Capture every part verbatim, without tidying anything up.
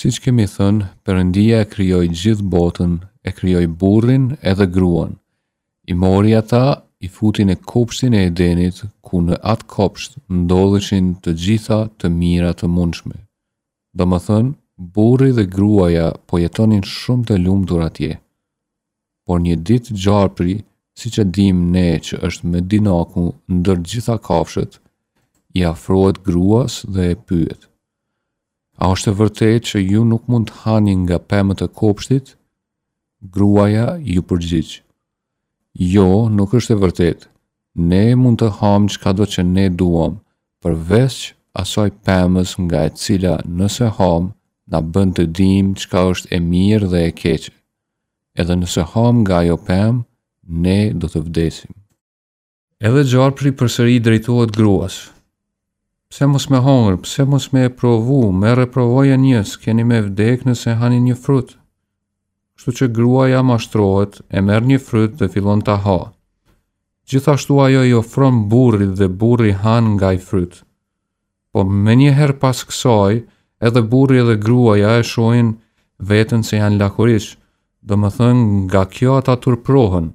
Siç kemi thënë, Perëndia e krijoi gjithë botën, e krijoi burrin edhe gruan. I mori ata, i futi në kopshtin e Edenit, ku në atë kopsht ndodheshin të gjitha të mira të mundshme. Domethënë, burri dhe gruaja po jetonin shumë të lumtur atje. Por një ditë gjarpri, siç e dimë ne që është më dinaku ndër gjitha kafshët, i afrohet gruas dhe e pyet: "A është e vërtetë që ju nuk mund të hani nga pemët e kopshtit?" Gruaja iu përgjigj: "Jo, nuk është e vërtetë. Ne mund të hamë çkado që ne duam, përveç asaj pemës nga e cila nëse hamë, na bën të dimë çka është e mirë dhe e keqe. Edhe nëse hamë nga ajo pemë, ne do të vdesim." Edhe gjarpri përsëri i drejtohet gruas: "Pse mos me hangër, pse mos me e provu, merre provoje një, s'keni me vdek nëse hani një frut." Kështu që gruaja mashtrohet, e merr një fryt dhe fillon ta ha. Gjithashtu ajo i ofron burrit dhe burri han nga ai fryt. Po menjëherë pas kësaj, edhe burri edhe gruaja e shohin veten se janë lakuriq, domethënë nga kjo ata turprohen.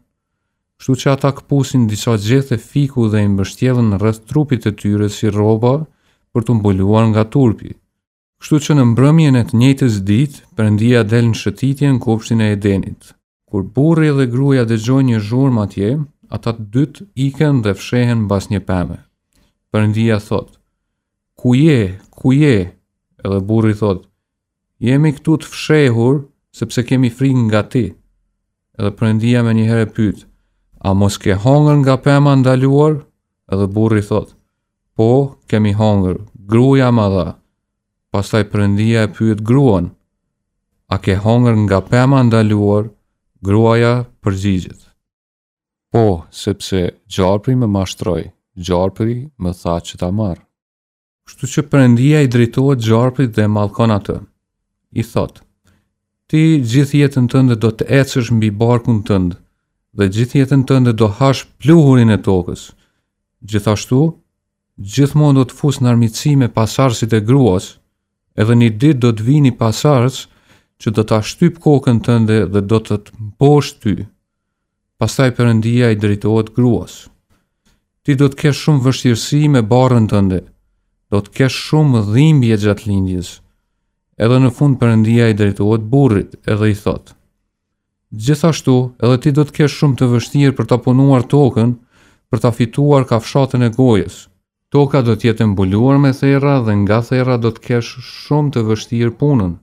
Kështu që ata këpusin disa gjethe fiku dhe i mbështjellën rreth trupit të tyre si rroba për t'u mbuluar nga turpi. Kështu që në mbrëmjen e të njëjtës ditë, Perëndia del në shëtitje në kopshtin e Edenit. Kur burri dhe gruaja dëgjojnë një zhurmë atje, ata të dytë ikën dhe fshehen mbas një peme. Perëndia thotë: "Ku je? Ku je?" Edhe burri thotë: "Jemi këtu të fshehur sepse kemi frikë nga ti." Edhe Perëndia menjëherë e pyet: "A mos ke hangër nga pema e ndaluar?" Edhe burri thotë: "Po, kemi hangër, gruaja ma dha." Pastaj Perëndia e pyet gruan: "A ke hangër nga pema e ndaluar?" Gruaja përgjigjet: "Po, sepse gjarpri më mashtroi, gjarpri më tha që ta marr." Kështu që Perëndia i drejtohet gjarprit dhe e mallkon atë. I thotë: "Ti gjithë jetën tënde do të ecësh mbi barkun tënd dhe gjithë jetën tënde do hash pluhurin e tokës. Gjithashtu, gjithmonë do të fus në armiqësi me pasardhësit e gruas, edhe një ditë do të vijë një pasardhës që do ta shtyp kokën tënde dhe do të të mposht ty." Pastaj Perëndia i drejtohet gruas: "Ti do të kesh shumë vështirësi me barrën tënde, do të kesh shumë dhimbje gjatë lindjes." Edhe në fund Perëndia i drejtohet burrit edhe i thotë: "Gjithashtu, edhe ti do të kesh shumë të vështirë për ta punuar tokën, për ta fituar kafshatën e gojës. Toka do të jetë e mbuluar me therra dhe nga therra do të kesh shumë të vështirë punën."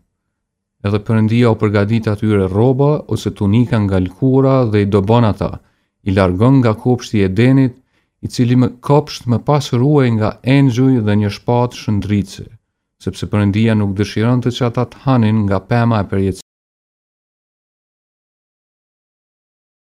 Edhe Perëndia u përgatit atyre rroba ose tunika nga lëkura dhe i dëbon ata, i largon nga kopshti i Edenit, i cili më kopsht më pas ruhej nga engjuj dhe një shpatë shndritëse, sepse Perëndia nuk dëshironte që ata të hanin nga pema e përjetësisë.